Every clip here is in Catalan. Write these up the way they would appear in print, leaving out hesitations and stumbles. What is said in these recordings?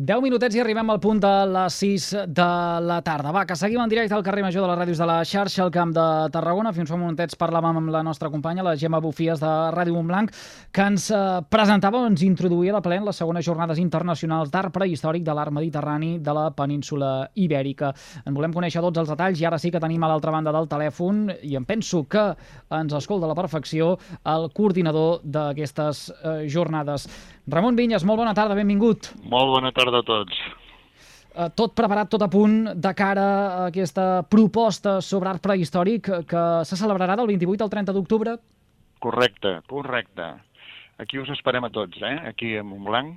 10 minutets i arribem al punt de les 6 de la tarda. Va, que seguim en directe al carrer Major de les ràdios de la xarxa, al Camp de Tarragona. Fins fa un momentets parlàvem amb la nostra companya, la Gemma Bufies de Ràdio Montblanc, que ens presentava, ens introduïa de ple en les segones jornades internacionals d'art prehistòric de l'art mediterrani de la península Ibèrica. En volem conèixer tots els detalls i ara sí que tenim a l'altra banda del telèfon, i em penso que ens escolta a la perfecció, el coordinador d'aquestes jornades. Ramon Vinyes, molt bona tarda, benvingut. Molt bona tarda a tots. Tot preparat, tot a punt de cara a aquesta proposta sobre art prehistòric que se celebrarà del 28 al 30 d'octubre? Correcte. Aquí us esperem a tots, aquí a Montblanc.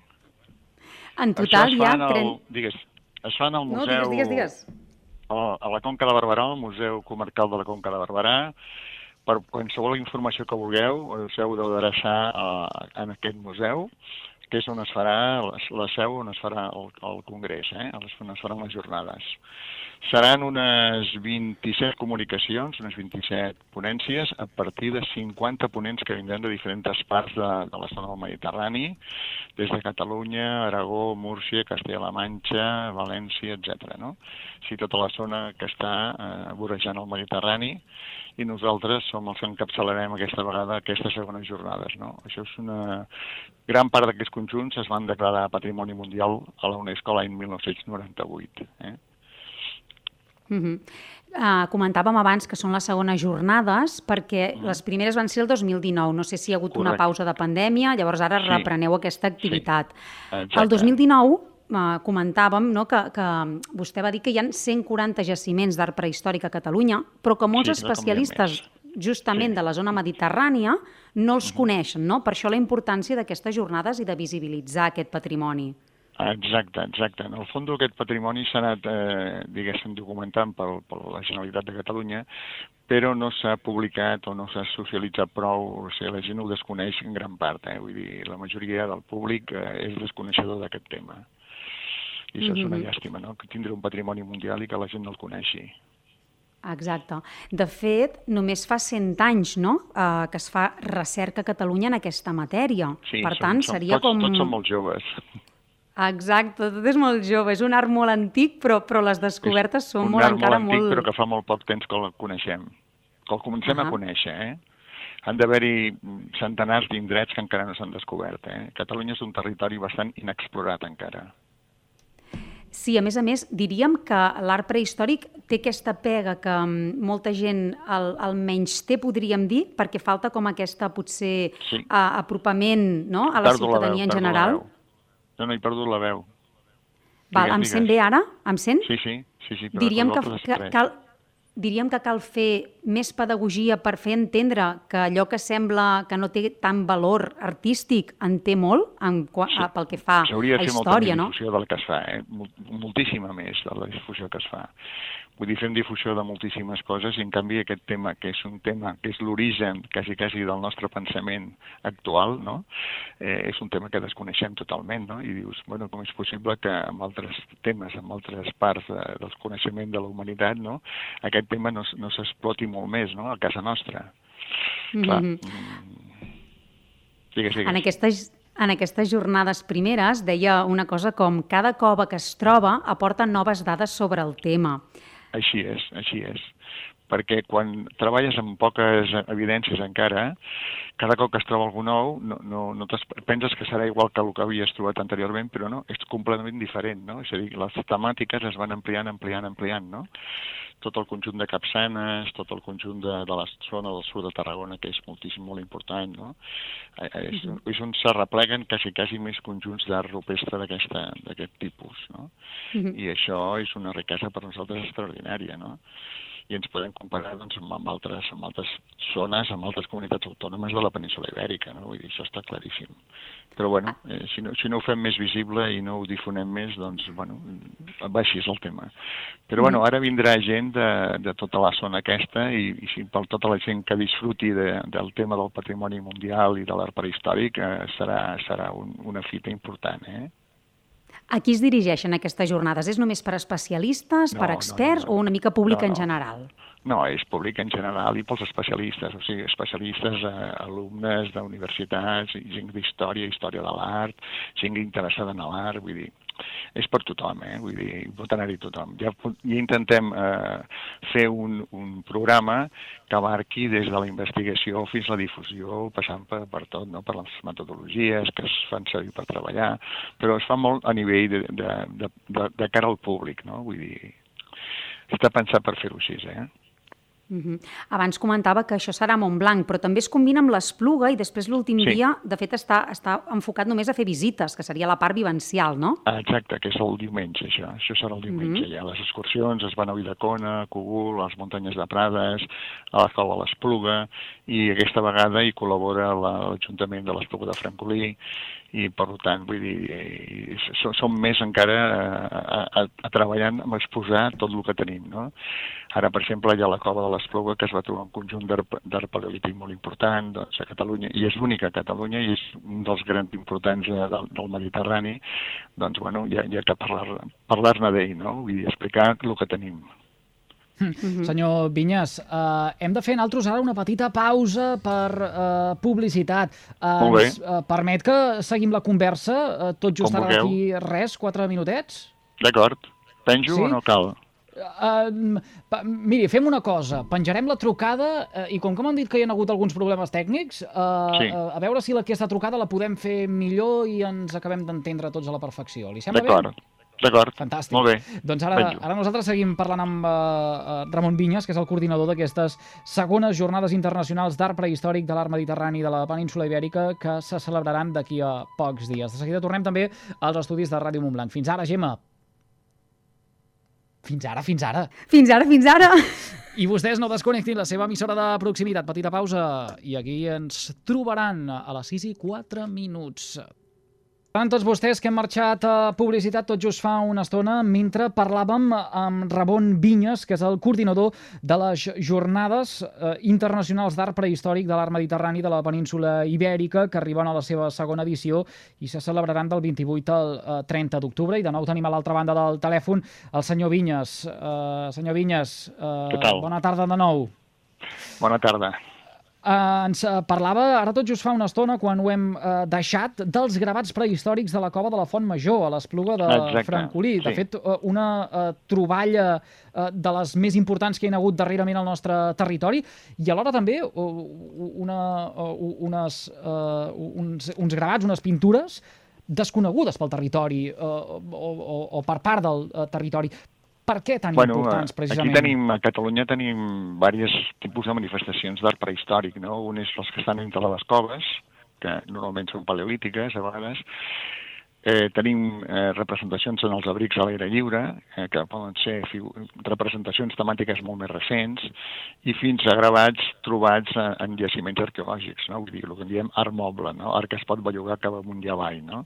En total hi ha... Es fan al museu... No, digues. A la Conca de Barberà, al Museu Comarcal de la Conca de Barberà. Per qualsevol informació que vulgueu, us heu d'adreçar en aquest museu, que és on es farà la seu, on es farà el congrés, on es faran les jornades. Seran unes 27 comunicacions, unes 27 ponències, a partir de 50 ponents que vindran de diferents parts de la zona del Mediterrani, des de Catalunya, Aragó, Múrcia, Castella-La Manxa, València, etc. No? Sí, tota la zona que està vorejant el Mediterrani, i nosaltres som els que encapçalarem aquesta vegada aquestes segones jornades. No? Això és una gran part d'aquests conjunts es van declarar Patrimoni Mundial a la UNESCO l'any 1998. Comentàvem abans que són les segones jornades perquè les primeres van ser el 2019. No sé si hi ha hagut una pausa de pandèmia, llavors ara repreneu aquesta activitat. El 2019 comentàvem que vostè va dir que hi ha 140 jaciments d'art prehistòric a Catalunya, però que molts especialistes justament de la zona mediterrània no els coneixen, no? Per això la importància d'aquestes jornades i de visibilitzar aquest patrimoni. Exacte. En el fons aquest patrimoni s'ha anat, documentant per la Generalitat de Catalunya, però no s'ha publicat o no s'ha socialitzat prou, o sigui, la gent ho desconeix en gran part, vull dir, la majoria del públic és desconeixedor d'aquest tema. I això és una llàstima, no?, que tindre un patrimoni mundial i que la gent no el coneixi. Exacte. De fet, només fa 100 anys, no?, que es fa recerca a Catalunya en aquesta matèria. Sí, per tant, seria com... Tots són molt joves. Exacte, tot és molt jove. És un art molt antic, però les descobertes són molt encara molt... Un art molt antic, però que fa molt poc temps que el coneixem. Que el comencem a conèixer, Han d'haver-hi centenars d'indrets que encara no s'han descobert, Catalunya és un territori bastant inexplorat encara. Sí, a més, diríem que l'art prehistòric té aquesta pega que molta gent el menysté, podríem dir, perquè falta com aquesta, potser, apropament, no?, a la ciutadania en general. No, he perdut la veu. Em sent bé ara? Em sent? Sí. Diríem que cal fer més pedagogia per fer entendre que allò que sembla que no té tant valor artístic en té molt pel que fa a història, no? S'hauria de fer molta més difusió del que es fa, moltíssima més de la difusió que es fa. Vull dir, fem difusió de moltíssimes coses i en canvi aquest tema, que és un tema que és l'origen quasi del nostre pensament actual, no? És un tema que desconeixem totalment, no? I dius, bueno, com és possible que en altres temes, en altres parts del coneixement de la humanitat, no?, aquest tema no s'exploti molt més, no?, a casa nostra. Clar. Digues. En aquestes jornades primeres deia una cosa com cada cova que es troba aporta noves dades sobre el tema. Així és. Perquè quan treballes amb poques evidències encara, cada cop que es troba algú nou, no penses que serà igual que el que havies trobat anteriorment, però no, és completament diferent, no? És a dir, les temàtiques es van ampliant, no? Tot el conjunt de Capçanes, tot el conjunt de la zona del sud de Tarragona, que és molt important, no? És on s'arrepleguen quasi més conjunts d'art rupestre d'aquest tipus, no? I això és una riquesa per nosaltres extraordinària, no? I ens podem comparar amb altres zones, amb altres comunitats autònomes de la península Ibèrica, no? Vull dir, això està claríssim. Però, bueno, si no ho fem més visible i no ho difonem més, doncs, bueno, va així és el tema. Però, bueno, ara vindrà gent de tota la zona aquesta i per tota la gent que disfruti del tema del patrimoni mundial i de l'art prehistòric serà una fita important, A qui es dirigeixen aquestes jornades? És només per especialistes, per experts o una mica públic en general? No, és públic en general i pels especialistes, o sigui, especialistes, alumnes d'universitats, gent d'història de l'art, gent interessada en l'art, vull dir, és per tothom, vull dir, pot anar-hi tothom. Ja intentem fer un programa que abarqui des de la investigació fins a la difusió, passant per tot, no? Per les metodologies que es fan servir per treballar, però es fa molt a nivell de cara al públic, no? Vull dir, està pensat per fer-ho així, Abans comentava que això serà a Montblanc, però també es combina amb l'Espluga i després l'últim dia, de fet, està enfocat només a fer visites, que seria la part vivencial, no? Exacte, que és el diumenge, això. Això serà el diumenge. Hi ha les excursions, es van a Ulldecona, a Cogul, a les muntanyes de Prades, a la Cova de l'Espluga, i aquesta vegada hi col·labora l'Ajuntament de l'Espluga de Francolí, i per tant, vull dir, som més encara treballant amb exposar tot el que tenim, no? Ara, per exemple, hi ha la Cova de l'Espluga, que es va trobar un conjunt d'art paleolític molt important, doncs, a Catalunya, i és l'única a Catalunya, i és un dels grans importants del Mediterrani, doncs, bueno, hi ha que parlar-ne d'ell, no? Vull dir, explicar el que tenim. Senyor Vinyes, hem de fer nosaltres ara una petita pausa per publicitat. Ens permet que seguim la conversa tot just ara d'aquí 4 minutets? D'acord. Penjo o no cal? Miri, fem una cosa. Penjarem la trucada i com que m'han dit que hi ha hagut alguns problemes tècnics, a veure si aquesta trucada la podem fer millor i ens acabem d'entendre tots a la perfecció. Li sembla bé? D'acord, fantàstic. Molt bé. Doncs ara nosaltres seguim parlant amb Ramon Vinyes, que és el coordinador d'aquestes segones jornades internacionals d'art prehistòric de l'art mediterrani de la península Ibèrica, que se celebraran d'aquí a pocs dies. De seguida tornem també als estudis de Ràdio Montblanc. Fins ara, Gemma. Fins ara. Fins ara. I vostès no desconnectin la seva emissora de proximitat. Petita pausa i aquí ens trobaran a les 6:04. Per tots vostès que hem marxat a publicitat tot just fa una estona mentre parlàvem amb Ramon Vinyes, que és el coordinador de les Jornades Internacionals d'Art Prehistòric de l'Art Mediterrani de la península Ibèrica, que arriben a la seva segona edició i se celebraran del 28 al 30 d'octubre. I de nou tenim a l'altra banda del telèfon el senyor Vinyes. Senyor Vinyes, bona tarda de nou. Bona tarda. Ens parlava ara tot just fa una estona, quan ho hem deixat, dels gravats prehistòrics de la Cova de la Font Major, a l'Espluga de Francolí. De fet, una troballa de les més importants que hi ha hagut darrerament al nostre territori, i alhora també uns gravats, unes pintures desconegudes pel territori o per part del territori. Per què tan importants, precisament? Aquí a Catalunya tenim diversos tipus de manifestacions d'art prehistòric, no? Un és els que estan entre les coves, que normalment són paleolítiques, a vegades. Tenim representacions en els abrics a l'aire lliure, que poden ser representacions temàtiques molt més recents, i fins a gravats trobats en jaciments arqueològics, no? Vull dir, el que en diem art moble, no? Art que es pot bellugar cap amunt i avall, no?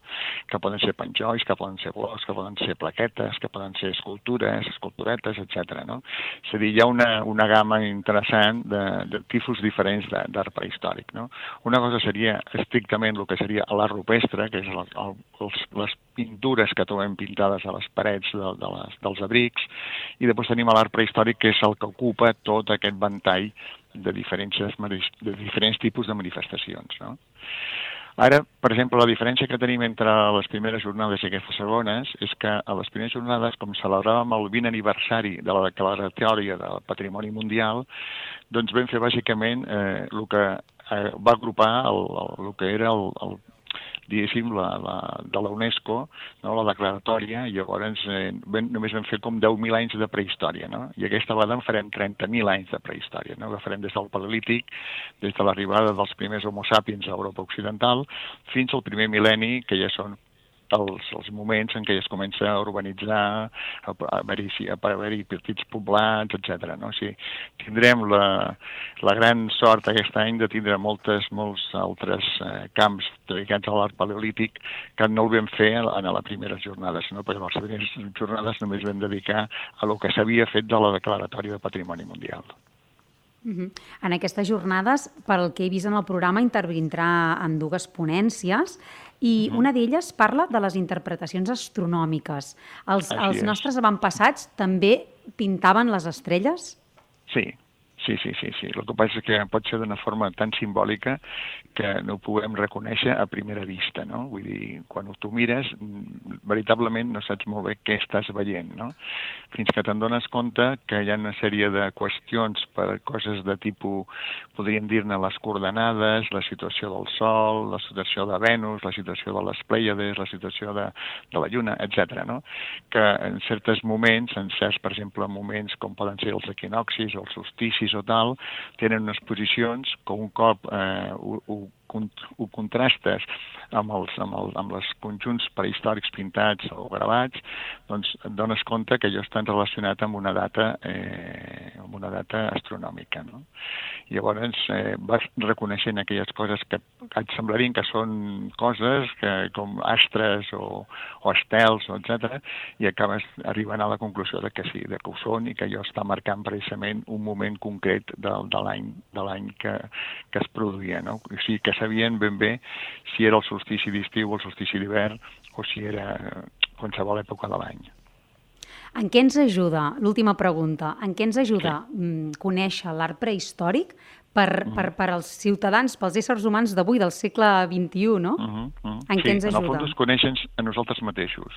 Que poden ser penjolls, que poden ser blocs, que poden ser plaquetes, que poden ser esculturetes, etc. No? És a dir, hi ha una gamma interessant de tipus diferents d'art prehistòric, no? Una cosa seria estrictament el que seria l'art rupestre, que és les pintures que trobem pintades a les parets dels abrics, i després tenim l'art prehistòric, que és el que ocupa tot aquest ventall de diferents tipus de manifestacions, no? Ara, per exemple, la diferència que tenim entre les primeres jornades i aquestes segones és que a les primeres jornades, com celebràvem el 20 aniversari de la declaratòria del Patrimoni Mundial, doncs vam fer bàsicament el que va agrupar el que era diguéssim, de la UNESCO, no? La declaratòria, i llavors només vam fer com 10.000 anys de prehistòria, no? I aquesta vegada en farem 30.000 anys de prehistòria, no? Que farem des del Paleolític, des de l'arribada dels primers Homo sapiens a Europa Occidental, fins al primer mil·lenni, que ja són els moments en què es comença a urbanitzar, a haver-hi petits poblats, etc. No? O sigui, tindrem la gran sort aquest any de tindre molts altres camps dedicats a l'art paleolític que no el vam fer en les primeres jornades, no? Perquè les primeres jornades només vam dedicar a el que s'havia fet de la declaratòria de Patrimoni Mundial. En aquestes jornades, pel que he vist en el programa, intervindrà en 2 ponències i una d'elles parla de les interpretacions astronòmiques. Els nostres avantpassats també pintaven les estrelles? Sí, Sí. El que passa és que pot ser d'una forma tan simbòlica que no ho puguem reconèixer a primera vista, no? Vull dir, quan tu mires, veritablement no saps molt bé què estàs veient, no? Fins que te'n dones compte que hi ha una sèrie de qüestions per coses de tipus, podríem dir-ne les coordenades, la situació del Sol, la situació de Venus, la situació de les Plèiades, la situació de la Lluna, etc. No? Que en certs moments, per exemple, moments com poden ser els equinoccis o els solsticis o tal, tenen unes posicions que un cop ho contrastes amb els conjunts prehistòrics pintats o gravats, doncs et dones compte que allò està relacionat amb una data astronòmica. No? Llavors vas reconeixent aquelles coses que et semblarien que són coses com astres o estels, etc., i acabes arribant a la conclusió de que sí, de que ho són i que allò està marcant precisament un moment concret de l'any que es produïa. No? O sigui, que sabien ben bé si era el solstici d'estiu o el solstici d'hivern o si era qualsevol època de l'any. En què ens ajuda, l'última pregunta, en què ens ajuda conèixer l'art prehistòric per als ciutadans, pels éssers humans d'avui, del segle XXI, no? En què ens ajuda? En el fons ens coneixen a nosaltres mateixos.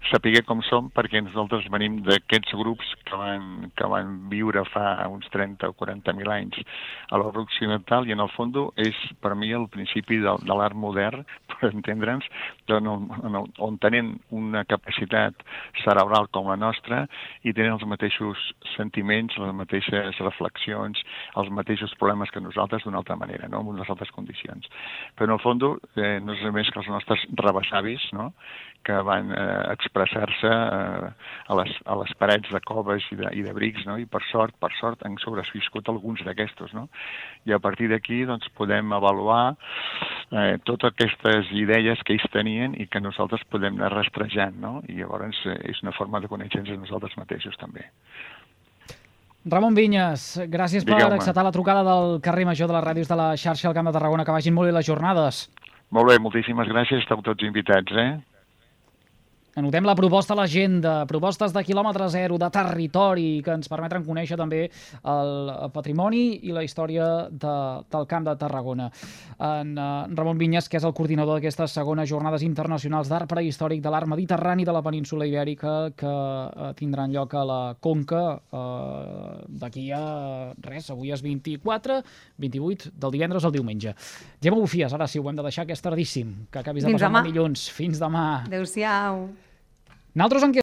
Saber com som, perquè nosaltres venim d'aquests grups que van viure fa uns 30 o 40.000 anys a l'Europa occidental, i en el fons és per mi el principi de l'art modern, per entendre'ns, on tenen una capacitat cerebral com la nostra i tenen els mateixos sentiments, les mateixes reflexions, els mateixos problemes que nosaltres d'una altra manera, no? En unes altres condicions. Però en el fons no és més que els nostres rebessavis, no? Que van expressar-se a les parets de coves i de brics, no? I per sort han sobreviscut alguns d'aquestos, no? I a partir d'aquí doncs, podem avaluar totes aquestes idees que ells tenien i que nosaltres podem anar rastrejant, no? I llavors és una forma de conèixer-nos a nosaltres mateixos també. Ramon Vinyes, gràcies per acceptar la trucada del carrer Major de les ràdios de la xarxa al Camp de Tarragona. Que vagin molt bé les jornades. Molt bé, moltíssimes gràcies. Esteu tots invitats, Anotem la proposta a l'agenda, propostes de quilòmetre zero, de territori, que ens permetran conèixer també el patrimoni i la història del Camp de Tarragona. En Ramon Vinyes, que és el coordinador d'aquestes segones jornades internacionals d'art prehistòric de l'art mediterrani de la península Ibèrica, que tindran lloc a la Conca d'aquí a res, avui és 24, 28, del divendres al diumenge. Gemma Bufies, ara sí, ho hem de deixar, que és tardíssim, que acabis de passar dilluns. Fins demà. Adéu-siau. Nosaltres